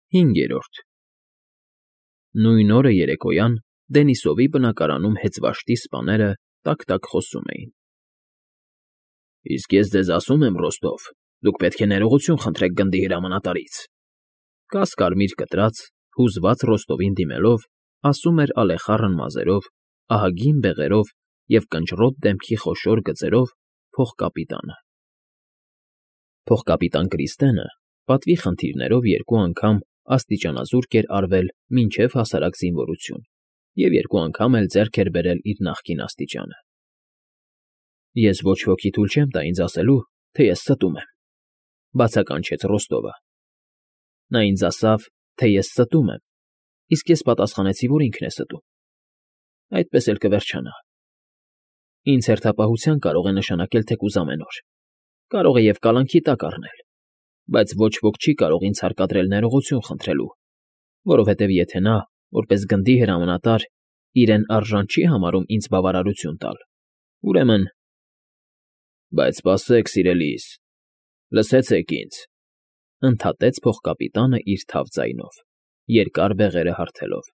5 Նույն օրը երեկոյան Դենիսովի բնակարանում հեծվաշտի սպաները տակ֊տակ խոսում էին։ ֊ Իսկ ես ձեզ ասում եմ, Ռոստով, դուք պետք է ներողություն խնդրեք գնդի հրամանատարից,֊ կաս֊կարմիր կտրած, հուզված Ռոստովին դիմելով, ասում էր ալեխառն մազերով, ահագին բեղերով և կնճռոտ դեմքի խոշոր գծերով փողկապիտանը։ Փողկապիտան Կրիստենը պատվի խնդիրներով 2 անգամ աստիճանազուրկ էր արվել մինչև հասարակ զինվորություն և 2 անգամ էլ ձեռք էր բերել իր նախկին աստիճանը։ Ես ոչ ոքի թույլ չեմ տա ինձ ասելու, թե ես ստում եմ,֊ բացականչեց Ռոստովը։ Նա ինձ ասավ, թե ես ստում եմ, իսկ ես պատասխանեցի, որ ինքն է ստում։ Այդպես էլ կվերջանա։ Ինձ հերթապահության կարող է նշանակել թեկուզ ամեն օր, կարող է և կալանքի տակ առնել, բայց ոչ ոք չի կարող ինձ հարկադրել ներողություն խնդրելու, որովհետև եթե նա, որպես գնդի հրամանատար, իրեն արժան չի համարում ինձ բավարարություն տալ, ուրեմն… Բայց սպասեք, սիրելիս, լսեցեք ինձ,֊ ընդհատեց փողկապիտանը իր թավ ձայնով, երկար բեղերը հարթելով,֊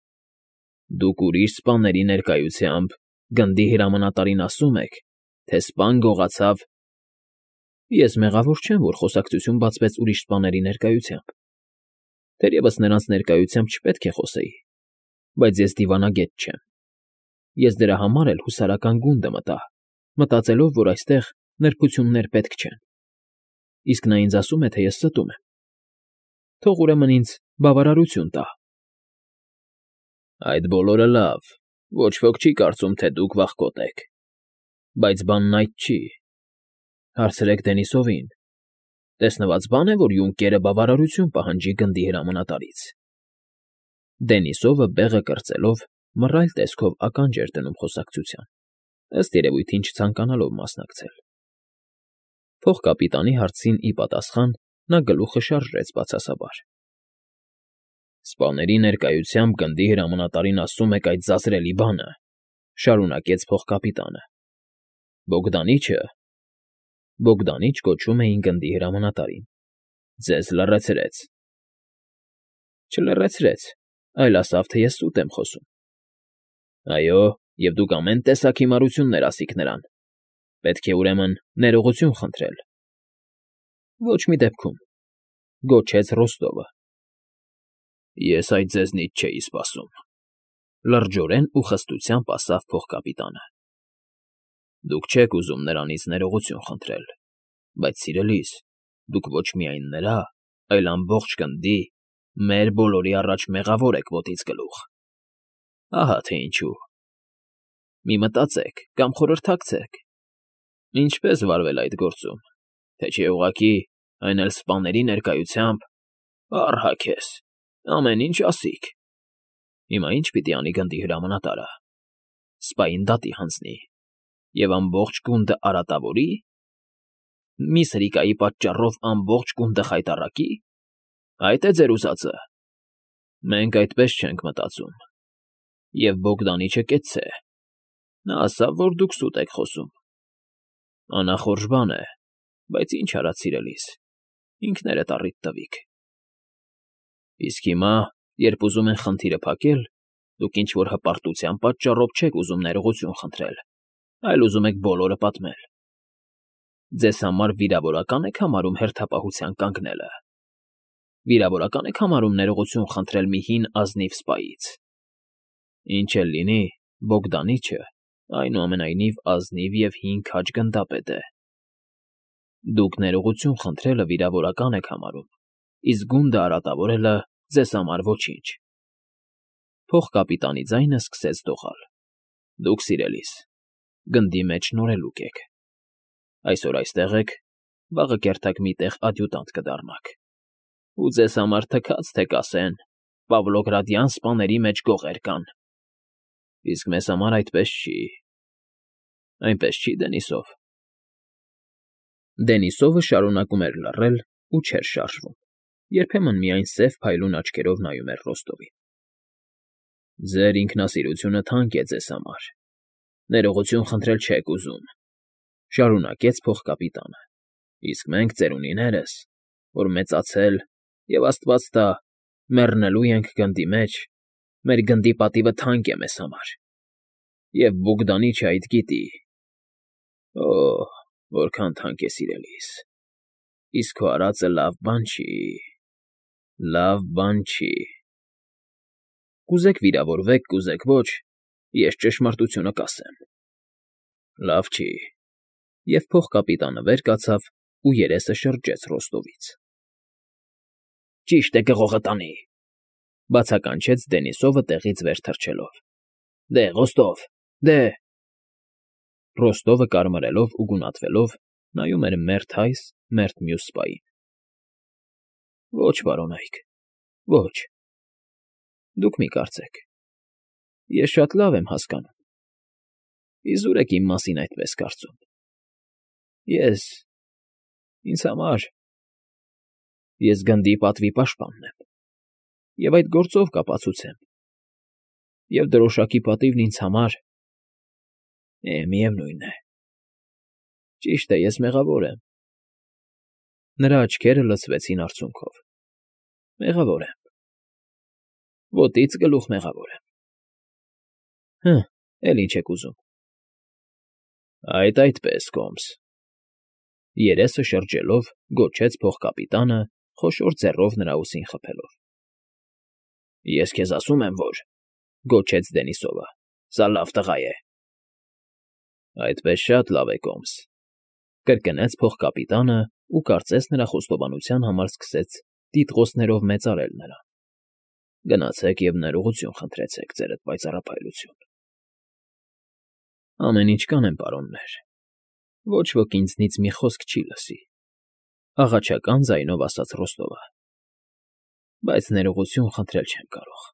դուք ուրիշ սպաների ներկայությամբ գնդի հրամանատարին ասում եք, թե սպան գողացավ… Ես մեղավոր չեմ, որ խոսակցություն բացվեց ուրիշ սպաների ներկայությամբ, թերևս նրանց ներկայությամբ չպետք է խոսեի, բայց ես դիվանագետ չեմ։ Ես դրա համար էլ հուսարական գունդը մտա, մտածելով, որ այստեղ նրբություններ պետք չեն։ Իսկ նա ինձ ասում է, թե ես ստում եմ։ Թող ուրեմն ինձ բավարարություն տա։ Այդ բոլորը լավ, ոչ ոք չի կարծում, թե դուք վախկոտ եք, բայց բանն այդ չի։ Հարցրեք Դենիսովին. տեսնված բան է, որ յունկերը բավարարություն պահանջի գնդի հրամանատարից։ Դենիսովը բեղը կրծելով մռայլ տեսքով ականջ էր դնում խոսակցության, ըստ երևույթին չցանկանալով մասնակցել։ Փողկապիտանի հարցին ի պատասխան նա գլուխը շարժեց բացասաբար։ Սպաների ներկայությամբ գնդի հրամանատարին ասում եք այդ ձազրելի բանը,֊ շարունակեց փողկապիտանը։ Բոգդանիչ կոչում էին գնդի հրամանատարին։ Ձեզ լռեցրեց։ Չլռեցրեց, այլ ասավ, թե ես սուտ եմ խոսում։ Այո, և դուք ամեն տեսակ հիմարություններ ասիք նրան։ Պետք է, ուրեմն, ներողություն խնդրել։ Ոչ մի դեպքում,֊ գոչեց Ռոստովը։ Ես այդ ձեզնից չէի սպասում,֊ լրջորեն ու խստությամբ ասավ փողկապիտանը։ Դուք չեք ուզում նրանից ներողություն խնդրել, բայց, սիրելիս, դուք ոչ միայն նրա, այլ ամբողջ գնդի, մեր բոլորի առաջ մեղավոր եք ոտից գլուխ։ Ահա թե ինչու։ Մի մտածեք կամ խորհրդակցեք. ինչպես վարվել այդ գործում, թե չէ ուղղակի, այն էլ սպաների ներկայությամբ… Առհա քեզ, ամեն ինչ ասիք։ Հիմա ի՞նչ պիտի անի գնդի հրամանատարը։ Սպային դատի հանձնի և ամբողջ գունդը արատավո՞րի։ Մի սրիկայի պատճառով ամբողջ գունդը խայտառակի։ Այդ է ձեր ուզածը։ Մենք այդպես չենք մտածում։ Եվ Բոգդանիչը կեցցե։ Նա ասավ, որ դուք սուտ եք խոսում։ Անախորժ բան է, բայց ինչ արած, սիրելիս, ինքներդ առիթ տվիք։ Իսկ հիմա, երբ ուզում են խնդիրը փակել, դուք ինչ֊որ հպարտության պատճառով չեք ուզում ներողություն խնդրել, այլ ուզում եք բոլորը պատմել։ Ձեզ համար վիրավորական եք համարում հերթապահության կանգնելը։ Վիրավորական եք համարում ներողություն խնդրել մի հին ազնիվ սպայից։ Ինչ էլ լինի, Բոգդանիչը, այնուամենայնիվ, ազնիվ և հին քաջ գնդապետ է։ Դուք ներողություն խնդրելը վիրավորական եք համարում, իսկ գունդը արատավորելը ձեզ համար ոչինչ։ Փողկապիտանի ձայնը սկսեց դողալ։ Դուք, սիրելիս, գնդի մեջ նորելուկ եք։ Այսօր այստեղ եք, վաղը կերթակ մի տեղ ադյուտանտ կդառնաք։ Ու ձեզ համար թքած թե կասեն. Պավլոգրադյան սպաների մեջ գողեր կան։ Իսկ մեզ համար այդպես չի։ Այնպես չի, Դենիսով։ Դենիսովը շարունակում էր լռել ու չէր շարժվում, երբեմն միայն սև փայլուն աչքերով նայում էր Ռոստովին։ Ձեր ինքնասիրությունը թանկ է ձեզ համար։ Ներողություն խնդրել չեք ուզում,֊ շարունակեց փողկապիտանը։ Իսկ մենք, ծերունիներս, որ մեծացել և, աստված տա, Մեռնելու ենք գնդի մեջ, մեր գնդի պատիվը թանկ է մեզ համար, և Բոգդանիչը այդ գիտի։ Օհ, որքան թանկ է, սիրելիս, իսկ քո արածը լավ բան չի, լավ բան չի։ Կուզեք վիրավորվեք, կուզեք ոչ, ես ճշմարտությունը կասեմ։ Լավ չի։ Եվ փողկապիտանը վեր կացավ ու երեսը շրջեց Ռոստովից։ Ճիշտ է, կղողը տանի, բացականչեց Դենիսովը տեղից վեր թռչելով։ Դե, Ռոստով, դե… Ռոստովը կարմրելով ու գունատվելով նայում էր մերթ այս, մերթ մյուս սպային։ Ոչ, պարոնայք, ոչ։ Դուք մի կարծեք, ես շատ լավ եմ հասկանում։ Իզուր եք իմ մասին այդպես կարծում։ Ինձ համար… Ես գնդի պատվի պաշտպանն եմ, և այդ գործով կապացուցեմ, և դրոշակի պատիվն ինձ համար… միևնույն է, ճիշտ է, ես մեղավոր եմ։ Նրա աչքերը լցվեցին արցունքով։ Մեղավոր եմ։ Ոտից գլուխ մեղավոր եմ։ Էլ ինչ եք ուզում։ Այդպես, Կոմս… Երեսը շրջելով, գոչեց փողկապիտանը, խոշոր ձեռով նրա ուսին խփելով։ Ես քեզ ասում եմ, որ… Գոչեց Դենիսովը, սա լավ տղա է։ Այդպես շատ լավ է, Կոմս… Կրկնեց փողկապիտանը ու կարծես նրա խոստովանության համար սկսեց տիտղոսներով մեծարել նրան։ Գնացեք և ներողություն խնդրեցեք, ձերդ պայծառափայլություն։ Ամեն ինչ կանեմ, պարոններ, ոչ ոք ինձնից մի խոսք չի լսի, աղաչական ձայնով ասաց Ռոստովը, բայց ներողություն խնդրել չեմ կարող,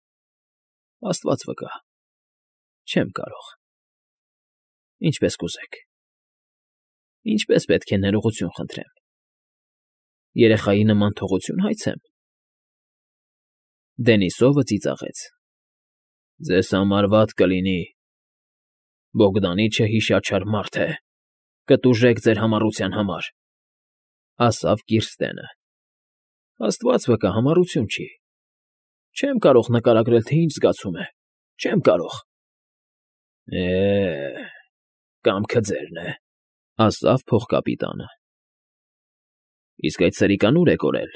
Աստված վկա, չեմ կարող։ Ինչպես կուզեք։ Ինչպես պետք է ներողություն խնդրեմ։ Երեխայի նման թողություն հայցեմ։ Դենիսովը ծիծաղեց։ Ձեզ համար վատ կլինի։ Բոգդանիչը հիշաչար մարդ է, կտուժեք ձեր համառության համար, ասավ Կիրստենը։ Աստված վկա, համառություն չի։ Չեմ կարող նկարագրել, թե ինչ զգացում է, չեմ կարող։ Կամքը ձերն է, ասավ փողկապիտանը։ Իսկ այդ սրիկան ուր է կորել,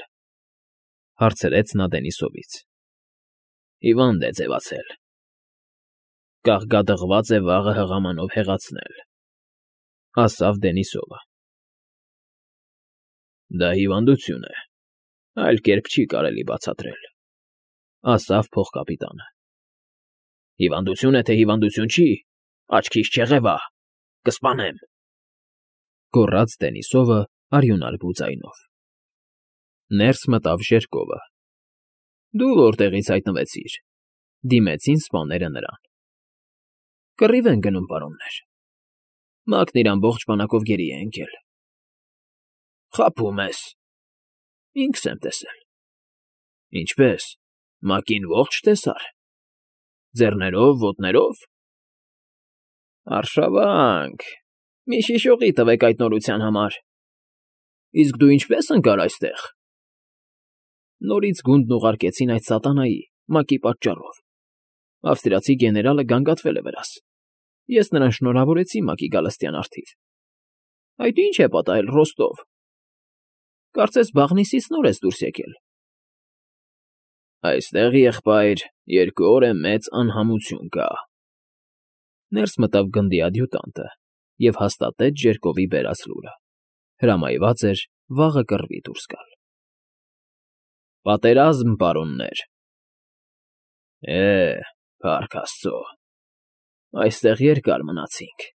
հարցրեց նա Դենիսովից։ Հիվանդ է ձևացել։ Կաղկադղված է վաղը հղամանով հեղացնել, ասավ Դենիսովը։ Դա հիվանդություն է, այլ կերպ չի կարելի բացատրել, ասավ փողկապիտանը։ Հիվանդություն է, թե հիվանդություն չի, աչքիս չեղևա, կսպանեմ, գոռաց Դենիսովը արյունարբու ձայնով։ Ներս մտավ Ժերկովը։ Դու որտեղից հայտնվեցիր, դիմեցին սպաները նրան։ Կռիվ են գնում, պարոններ։ Մակն իր ամբողջ բանակով գերի է ընկել։ Խաբում ես։ Ինքս եմ տեսել։ Ինչպես, Մակին ողջ տեսար։ Ձեռներով, ոտներով։ Արշավանք, մի շիշողի տվեք այդ նորության համար։ Իսկ դու ինչպես ընկար այստեղ։ Նորից գունդն ուղարկեցին այդ սատանայի, Մակի պատճառով։ Ավստրիացի գեներալը գանգատվել է վրաս։ Ես նրան շնորհավորեցի Մակի գալստյան առթիվ։ Այդ ինչ է պատահել, Ռոստով։ Կարծես բաղնիսից նոր ես դուրս եկել։ Այստեղ, եղբայր, 2 օր է մեծ անհամություն կա։ Ներս մտավ գնդի ադյուտանտը և հաստատեց Ժերկովի բերած լուրը։ Հրամայված էր վաղը կռվի դուրս գալ։ Պատերազմ, պարոններ։ Փառք Աստծո, այստեղ երկար մնացինք։